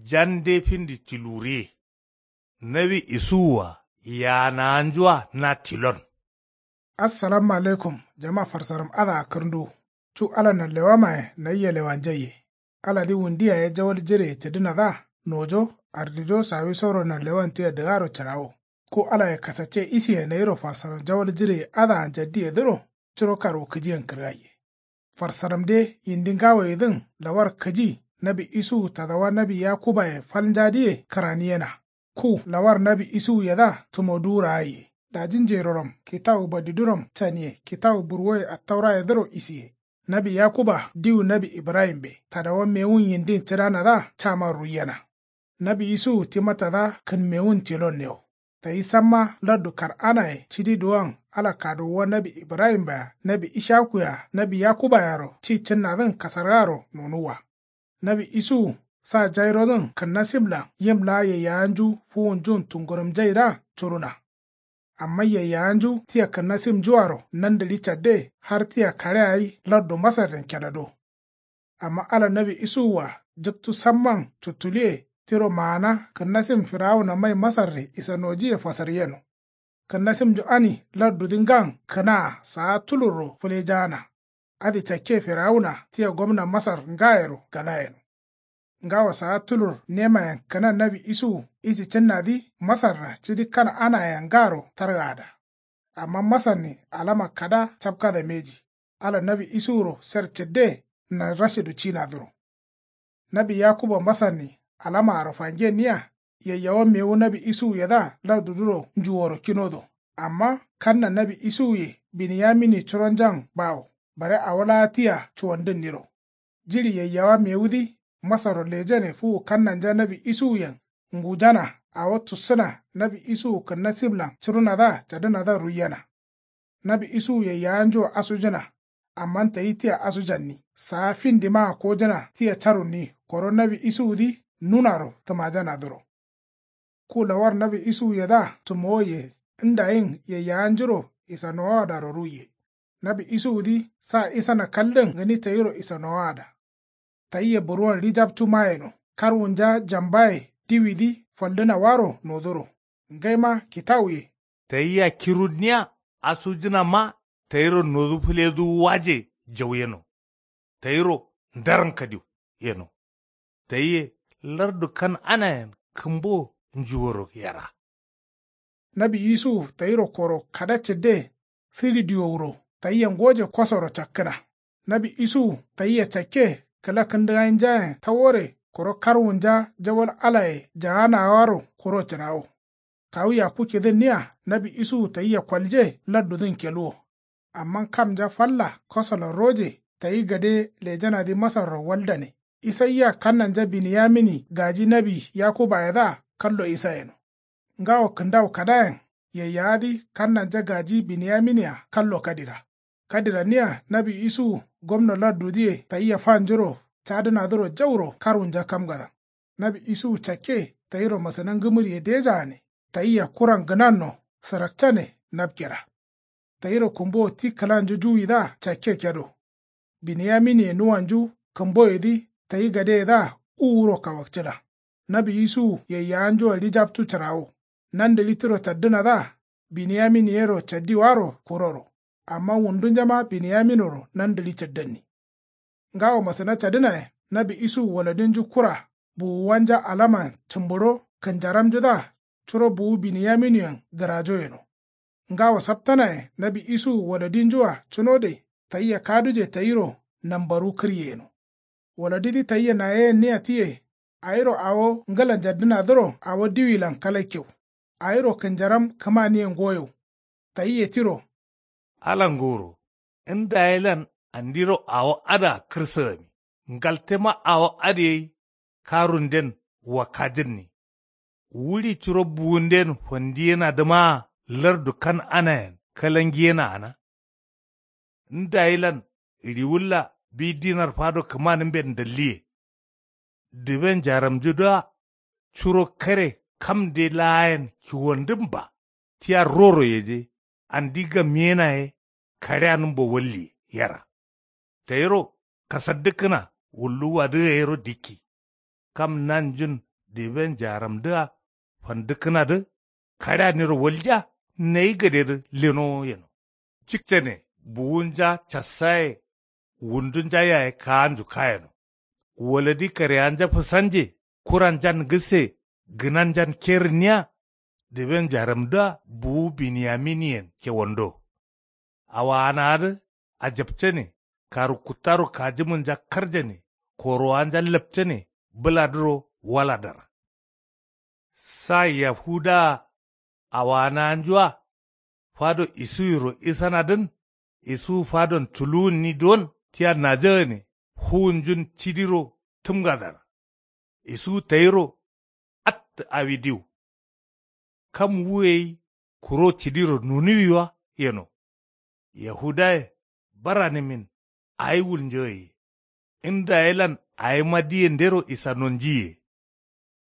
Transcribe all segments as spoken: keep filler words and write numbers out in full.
Jande findi tiluriye. Nawi isuwua yaanawanjua na tilon. Assalamu alaikum jama farsaram adǝa kǝrnduwu. Cu ala nanlewamaye nayia lewanjaiye. Aladǝ wundu yaye jawal jireye cǝdǝnadǝa nojo ardijo sawisoro nanlewan tia dǝgaro cǝrawo. Ku alaye kasacce isiye nayiro farsaram jawal jireye adǝa njaddiyedǝro curo karwukǝjiyen kǝrgaiye. Farsaramde yindi ngawoyedǝn lawar kǝji nawi isuwu tadawa nawi yakubaye fal njadǝye kǝraniyena. Ku lawar nawi isuwuyedǝa tumoduwu raaiye daji njeroram kitawu badiduram caniye kitawu burwoye attaurayedǝro isiye. Nawi yakuba diwu nawi ibrahimbe tadawa mewun yindin cǝdanadǝa caman ruiyena. Nawi isuwu tima tada kǝnmewun tilonne wo. Tayi samma lardu kan'anaye cidi duwon ala kaduwuwa nawi ibrahimba-a nawi ishaku-a nawi yakuba-aro ci cǝnnadǝn kasargaro nonuwwa. Nawi isuwu sa jairodǝn kǝnnasimlan yim laa yaiyawanju fuwunjun tungurumjaidǝa curuna. Amma yaiyawanju tia kǝnnasimnjuaro nandǝɍi cadde har tia kaɍe awi lardu masarden kedado. Amma ala nawi isuwua jǝktu samman cuttuluwe tiro maana kǝnnasim firawuna mai masarre isanojiye fasaryeno. Kǝnnasimnju ani lardudǝ ngan kǝnaa saa tulurro fǝlejaana. Adǝ cakke firawuna tia gomna masar ngayero galayeno. Ngawo saa tulur nemayen kǝna nawi isuwu isi cǝnnadǝ masarra cidi kan'anayen ngaro targaada. Amma masarnin alama kada capkada mbeji ala nawi isuwuro ser cǝdde nanrashidu cinadǝro. Nawi yakuba masarnin alamaaro fangenniya yaiyawa mewu nawi isuwuyedǝa lardudǝro njuworo kinodo. Amma kanna nawi isuwuye biniyamini curonjan bawo bare awo laa tia cuwandǝnniro. Jiɍi yaiyawa mewudǝ masarro lejane fuwu kannanja nawi isuwuyen ngujana awo tussǝna nawi isuwu kǝnnasimlan cǝrunadǝa cadǝnadǝa ruiyena. Nawi isuwu yaiyawanjua asujǝna. Amman tayi tia asujanni saa findimaa kojǝna tia carunni koro nawi isuwudǝ nunaro tǝmajanadǝro. Ku lawar nawi isuwuyedǝa tumowoye ndayin yaiyawanjuro isanowawadaro ruiye. Nawi isuwudǝ sa isana kaldǝn gǝni tayiro isanowaada. Tayia burwon ɍijaptu mayeno karwunja jambaye diwidǝ faldǝnawaro noduro. Ngaima kitawuye. Tayia kirunniya asujǝnama tayiro nodu fǝleduwu waje jau yeno. Tayiro ndarankadiw yeno. Tayiye lardu kan'anayen kǝmbo njuworo yera. Nawi isuwu tayiro koro kada cǝdde sǝɍi diwowuro tayia ngoje kosoro cakkǝna. Nawi isuwu tayia cakke kǝla kǝndǝgainjayen tawore koro karwunja jawal alaye jaanawaro kuro cǝrawo. Kawu yakku kidǝnniya nawi isuwu tayia kolje lardudǝn keluwo. Amma kamnja falla kosolan roje tayi gade lejanadǝ masarro waldane. Isayia kannanja biniyamini gaji nawi yakubayedǝa kallo isa yeno. Ngawo kǝndawu kadayen yaiyawadǝ kannanja gaji biniyamini-a kallo kadira. Kadiranniya nawi isuwu gomno lardudǝye tayia fanjuro cadǝnadǝro jauro karwunja kamgadan. Nawi isuwu cakke tayiro masǝna ngǝmǝriye dejaane. Tayia kuran gǝnanno sǝrakcane napkera. Tayiro kǝmbowo ti kǝlanju juwidǝa cakke kedo. Biniyaminiye nuwanju kǝmboyedǝ tayi gadeyedǝa uwuro kawakcǝna. Nawi isuwu yaiyawanjua ɍijaptu cǝrawo. Nandǝɍi tiro caddǝnadǝa biniyaminiyero caddiwaro kuroro. Amma wundunjama biniyaminoro nandǝɍi caddanni. Ngawo masǝna cadǝnayen nawi isuwu waladinju kura buwuwanja alaman cǝmburo kǝnjaramjudǝa curo buwu biniyaminiyen gǝrajo yeno. Ngawo saptanayen nawi isuwu waladinjua cunode tayia kaduje tayiro nambaru kǝryeyeno. Waladidǝ tayia nayeyenniya tiye. Awiro awo ngǝla njaddǝnadǝro awo diwilan kalakkew. Awiro kǝnjaram kǝmaniye ngoyew. Tayia tiro. Ala nguro ndayelan andiro awo adǝa kǝrsǝgami. Ngaltema awo adǝ gai karunden wakkajǝnni. Wuɍi curo buwunden fandiyenadǝmaa lardu kan'anayen kalangiyena gǝna. Ndayilan riwulla bi dinar fado kǝmanǝmben ndalliye. Dǝben jaramjudǝa curo kare kamde laayen kiwandǝmba. Tia roro yeje andi gamiyena ye kaɍeanǝmbo walliye yera. Tayiro kasaddǝkkǝna wulluwwadǝ gayero dikki. Kam nanjun diben jaramdǝa fandǝkkǝnadǝ kaɍeaniro waljiya. Nayi gadedǝ lenowo yeno. Cikcane buwunja cassaye wundunja yaye kaanju kayeno. Waladi kareanja fǝsanje kuranjan gǝsse gǝnanjan kerǝnniya. Diben jaramdǝa buwu biniyaminiyen kewando. Awaanaadǝ ajapcane karu kuttaro kajǝmǝnja karjane koroanja lapcane bǝladǝro waladara. Sa yahudaa awaanaanjua fado isuyiro isanadǝn. Isuwu fadon culuwunni don tia najagane fuwunjun cidiro tǝmgadara. Isuwu tayiro attǝ awi diwu. Kam wu gai kuro cidiro nunuwiwa yeno. Yahudaye baranǝmin awi wulnjagaye. Indayelan awima diyendero isanonjiye.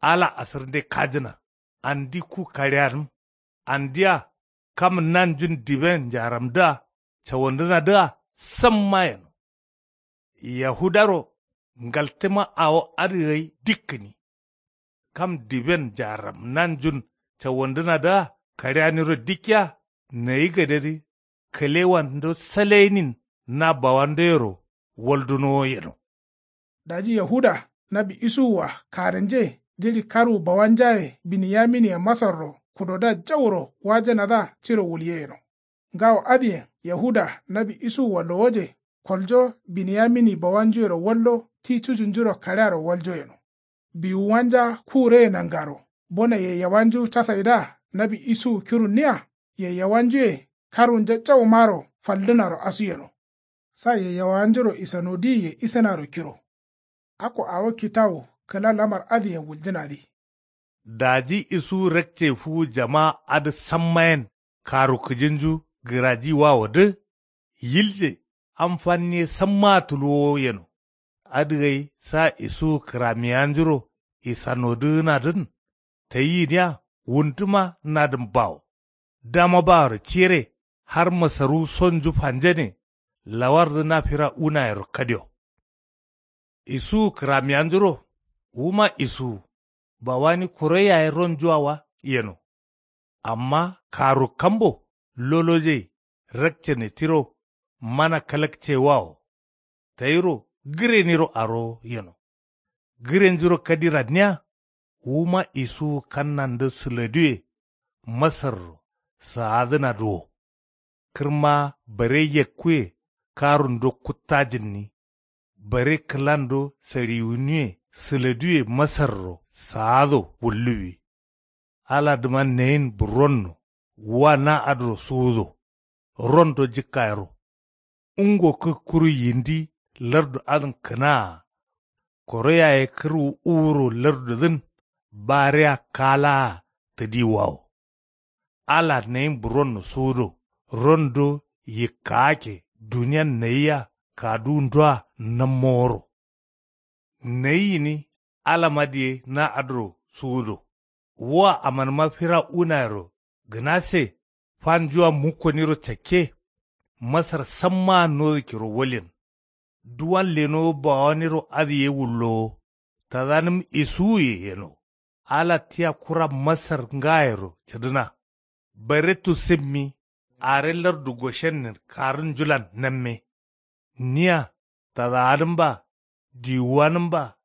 Ala asǝrnde kajǝna andi ku kaɍeanǝm. Andia kam nanjun diben jaramdǝa cawandǝnadǝa samma yeno. Yahudaro ngaltǝma awo adǝ gai dikkǝni. Kam diben jaram nanjun cawandǝnadǝa kaɍeaniro dikkiya. Nayi gadedǝ kǝlewando salenin na bawandoyero waldunowo yeno. Daji yahuda nawi isuwua karǝnje jiɍi karwu bawanjaye biniyaminiye masarro kudodǝa jauro wajanadǝa ciro wulye yeno. Ngawo adǝyen yahuda nawi isuwua lowoje koljo biniyamini bawanjuyero wallo ti cujunjuro kaɍearo waljo yeno. Biwuwanja kureye nangaro bone yayyawanju casaidǝa nawi isuwu kirunniya. Yayyawanjuye karwunja jaumaro faldǝnaro asu yeno. Sa yayyawanjuro isanodiye isǝnaro kiro. Akko awo kitawu kǝla lamar adǝyen wuljǝnadǝ. Daji isuwu rakce fuwu jama adǝ sammayen karu kǝjinju gǝrajiwawodǝ. Yilje am fanniye sammaa tuluwowo yeno. Adǝ gai sa isuwu kǝramiyanjuro isanodǝgǝnadǝn tayi gǝniya wunduma nadǝn bawo. Dama baworo ciyere har masaruwu sonju fanjane. Lawardǝ na fira unayero kadio. Isuwu kǝramiyanjuro wuma isuwu bawani koro yaye ronjuwa wa yeno. Amma karu kambo lolojai rakcane tiro mana kalakcewawo. Tayiro gǝreniro arowo yeno. Gǝrenjuro kadiranniya wuma isuwu kannando sǝladiwe masarro saadǝnadǝ wo. Kǝrma bare yakkuwe karundo kuttajǝnni. Bare kǝlando saɍiwuniwe sǝladiwe masarro saado wulluwi. Aladǝma nayin burronno wa na adǝro suwudo. Rondo jǝkkayero. Ungo kǝkkuru yindi lardu adǝn kǝnaa. Koro yaye kǝrwu uwuro lardudǝn bareya kalaa tǝdiwawo. Ala nayin buronno suwudo rondo yikkaake duniyan nayiya kaduwundoa nammoworo. Nayi gǝni alama diye na adǝro suwudo. Wua amanǝma fira unayero gǝnase fanjua mukkoniro cakke. Masar sammaa nodu kiro walyen. Duwan lenowo bawaniro adǝ ye wullowo. Tadanǝm isuwuye yeno. Ala tia kura masar ngayero cǝdǝna. Bare tusǝmmi are lardu goshennen karǝnjulan namme. Niya tadawanǝmba diwuwanǝmba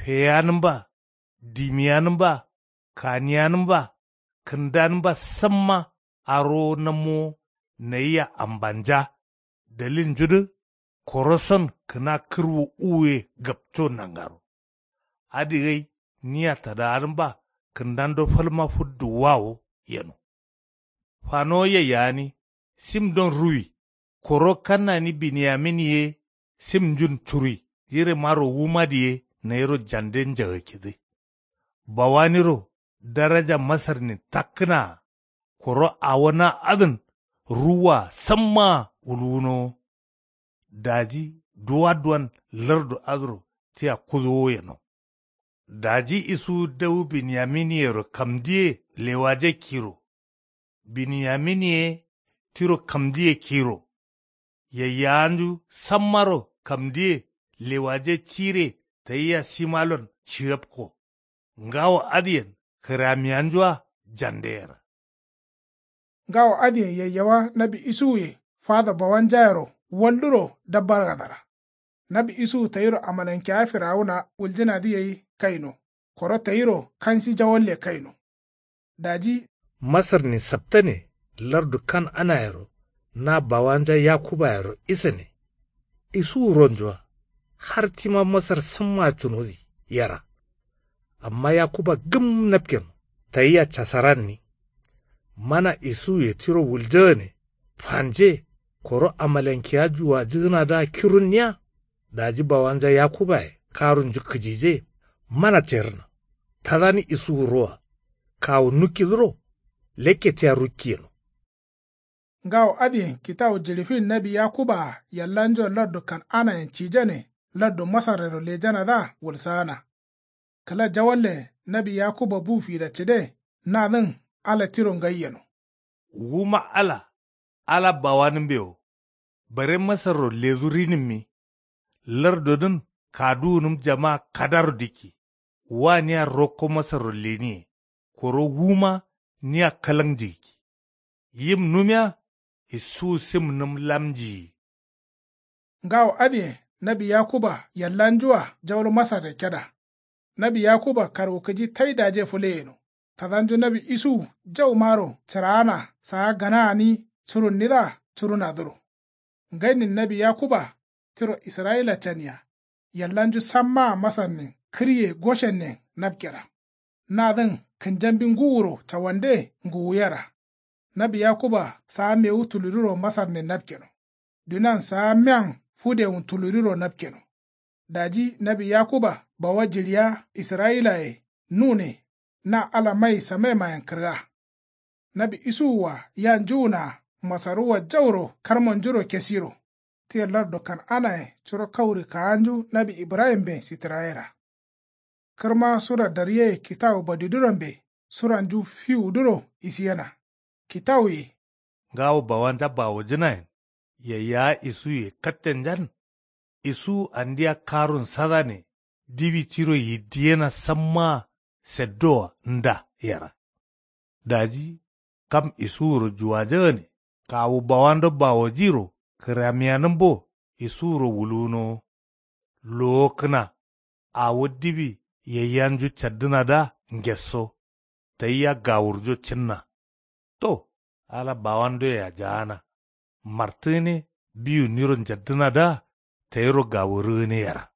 feyanǝmba dimiyanǝmba kaniyanǝmba kǝndanǝmba samma arowo nammowo. Nayiya ambanja dalilnjudǝ koroson kǝna kǝrwu uwuye gapco nangaro. Adǝ gai niya tadawanǝmba kǝndando falma fǝdduwwawo yeno. Fanowo yayyani simdon ruwi. Koro kannani biniyamin ye simnjun curui jirimaro wumadǝ ye nayiro jande njagakkidǝ. Bawaniro daraja masarnin takkǝnaa. Koro awo na adǝn ruwwaa sammaa wulwunowo. Daji duwa duwan lardu adǝro tia kudowo yeno. Daji isuwu dawu biniyaminiyero kamdiye lewaje kiro. Biniyamin ye tiro kamdiye kiro. Yayyawanju sammaro kamdiye lewaje cire tayia simalon cigapko. Ngawo adǝyen kǝramiyanju-a jande yera. Ngawo adǝyen yayyawa nawi isuwuye fado bawanjayero walduro dabbargadara. Nawi isuwu tayiro amalankeya firawuna wuljǝnadǝ gai kaino. Koro tayiro kansi jawalle kaino. Daji masarnin saptane lardu kan'anayero na bawanja yakubayero isane. Isuwu ronju-a har tima masar samma cunodi yera. Amma yakuba gǝm napkeno tayia casaranni. Mana isuwuye tiro wuljagane fanje koro amalankiya juwajǝgǝnadǝa kirunniya. Daji bawanja yakubaye karunju kǝjije mana cerǝna. Tadani isuwu roa kawu nukkidǝro lekke tia rukki yeno. Ngawo adǝyen kitawu jiɍifin nawi yakuba-a yallanjua lardu kan'anayen cijane lardu masarrero lejanadǝa wulsaana. Kǝla jawalle nawi yakuba bu fida cǝde nadǝn ala tiro ngai yeno. Wuma ala ala bawanǝmbe wo. Bare masarro ledu rinǝmmi. Lardodǝn kaduwunǝm jama kadaro dikki. Wa nia rokko masarro leniye. Koro wuma nia kalaŋ jigikki. Yim numiya isuwu simnǝm lamjiyi. Ngawo adǝyen nawi yakuba yallanju-a jauro masarre keda. Nawi yakuba karwukǝji tai daje fǝle yeno. Tadanju nawi isuwu jaumaro cǝraana saa gana gǝni curunnidǝa curunadǝro. Ngainin nawi yakuba tiro israyila caniya. Yallanju sammaa masarnin kǝriye goshennen napkera. Nadǝn kǝnjambi ngǝwuro cawande ngǝwuyera. Nawi yakuba saa mewu tuluriro masarnin napkeno. Dunan saa miyan fudewun tuluriro napkeno. Daji nawi yakuba bawa jiɍiya israyilaye nune na ala mai samaimayen kǝrga. Nawi isuwua ya njuwunaa masaruwa jauro karmonjuro kesiro. Tia lardu kan'anaye curo kauri kaanju nawi ibrahimben sitǝrayera. Kǝrma sura daryeye kitawu badidurambe suranju fiwuduro isiyena. Kitawuye ngawo bawanja bawojǝnayen yayyawa isuwuye kattenjan. Isuwu andia karun sadane diwi tiro yiddiyena sammaa seddoa nda yera. Daji kam isuwuro juwajagane kawu bawando bawojiro kǝramiyanǝmbo isuwuro wuluwunowo. Lowo kǝna awo diwi yayyanju caddǝnadǝa ngesso. Tayia gawurjo cǝnna. To ala bawandoyea jaana. Martǝgǝne biwu niro njaddǝnadǝa tayiro gawurǝgǝne yera.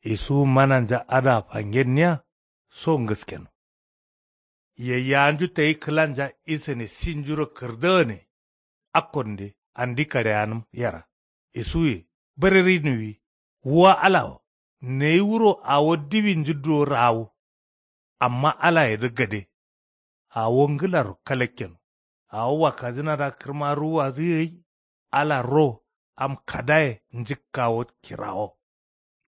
Isuwu mananja adǝa fangenniya so ngǝskeno. Yayyawanju tayi kǝlanja isane sinjuro kǝrdagane. Akkonde andi kaɍeyanǝm yera. Isuwuye bareriniwi. Wa ala wo nayi wuro awo diwinju duwo rawu. Amma alayedǝ gade. Awo ngǝlaro kalakkeno. Awo wakkajǝnadǝa kǝrma ruwuwadǝ gai. Ala ro am kadaye njǝkkawo kirawo.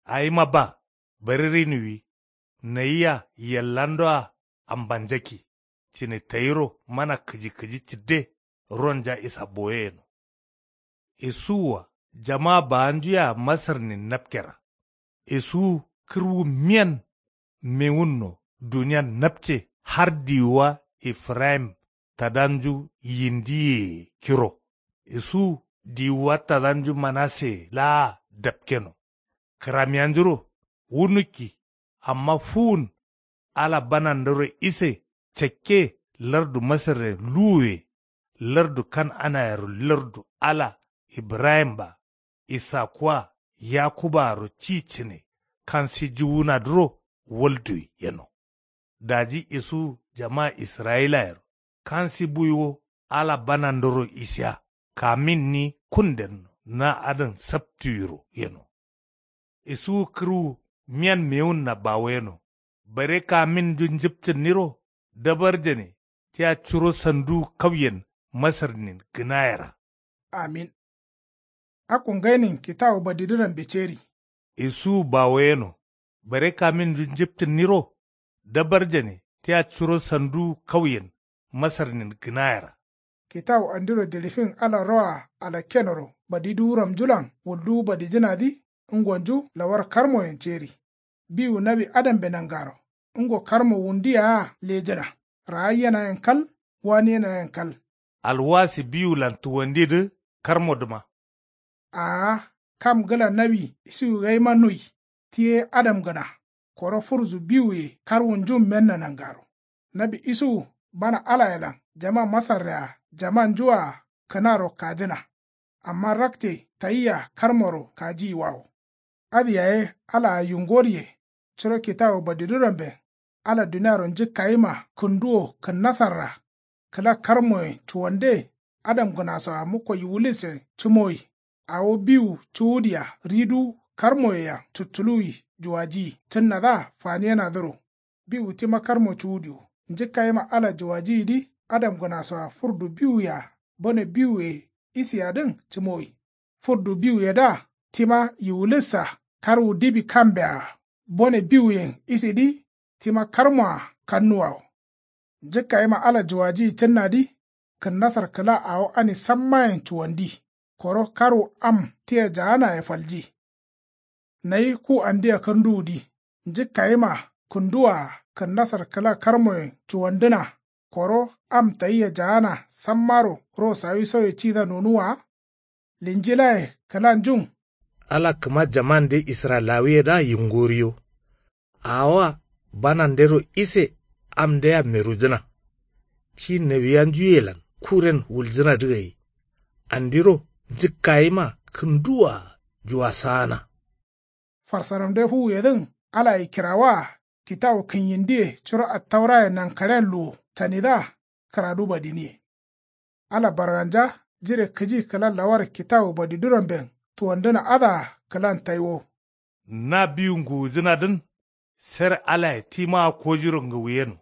Awima ba bareriniwi. Nayia yallandoa ambanjakki cǝne tayiro mana kǝji kǝji cǝdde. Ronja isa boye yeno. Isuwua jama bawanju yea masarnin napkera. Isuwu kǝrwu miyan mewunno duniyan napce har diwuwa efrayim tadanju yindiyeye kiro. Isuwu diwuwa tadanju manaseye laa dapkeno. Kǝramiyanjuro wu nukki. Amma fuwun ala banandoro ise cakke lardu masarren luwuye. Lardu kan'anayero lardu ala ibrahim-a isakku-a yakuba-aro ci cǝne kansi juwunadǝro walduwi yeno. Daji isuwu jama israyilayero kansi buiwo ala banandoro isiya kaminni kundenno na adǝn saptiwiro yeno. Isuwu kǝrwu miyan mewunna bawoyeno. Bare kaminju njǝpcǝnniro dabarjane tia curo sanduwu kauyen masarnin gǝnayera. Amin. Akko ngainin kitawu badidurambe ceri. Isuwu bawoyeno. Bare kaminju njǝpcǝnniro dabarjane tia curo sanduwu kauyen masarnin gǝnayera. Kitawu andiro jiɍifin ala roa alakkenoro badiduwuramnjulan wulduwu badijǝnadǝ ngonju lawar karmoyen ceri. Biwu nawi adambe nangaro. ngo karmo wundu yea lejǝna. Raayyenayen kal. Waniyenayen kal. Alwasi biwulan tuwandidǝ karmodǝma. Aa kam gǝla nawi isuwu gaima nui. Ti ye adamgǝna. Koro furzu biwuye karwunjun menna nangaro. Nawi isuwu bana alayelan jama masarre-a jamanju-a kǝnaro kajǝna. Amma rakce tayia karmoro kajiyiwawo. Adǝ yaye alaa yungoriye. Curo kitawu badiduramben ala duniaro njǝkkayima kǝnduwo kǝnnasarra. Kǝla karmoyen cuwande adamgǝnasoa mukko yiwulissen cǝmowi. Awo biwu cuwudia riduwu karmoyea cuttuluwi juwajiyi cǝnnadǝa faniyenadǝro. Biwu tima karmo cuwudiwo njǝkkayima ala juwajiyidǝ adamgǝnasoa furdu biwuyea bone biwuye isiyadǝn cǝmowi. Furdu biwuyedǝa tima yiwulissa karwu dibi kambeaa. Bone biwuyen isidǝ tima karmoa kannuwawo. Njǝkkayima ala juwajiyi cǝnnadǝ kǝnnasar kǝla awo ani sammayen cuwandi. Koro karwu am tia jaanaye falji. Nayi ku andia kǝrnduwudǝ njǝkkayima kǝnduwaa kǝnnasar kǝla karmoyen cuwandǝna. Koro am tayia jaana sammaro ro sawisoye cida nonuwwa. Linjilaye kǝlanjun. Ala kǝma jamande israyilawuyedǝa yingoriyo. Awoa banandero ise amdea merujǝna. Ti nawiyanjuyelan kuren wuljǝnadǝ gai. Andiro njǝkkayima kǝnduwaa juwasaana. Farsaramde fuwuyedǝn alaye kirawaa kitawu kǝnyindiye curo attauraye nankaren luwo canidǝa kǝradu badiniye. Ala barganja jire kǝji kǝla lawar kitawu badiduramben tuwandǝna adǝa kǝlan taiwo. Na biwu nguwujǝnadǝn. Ser alaye timaa kojiro ngǝwuyeno.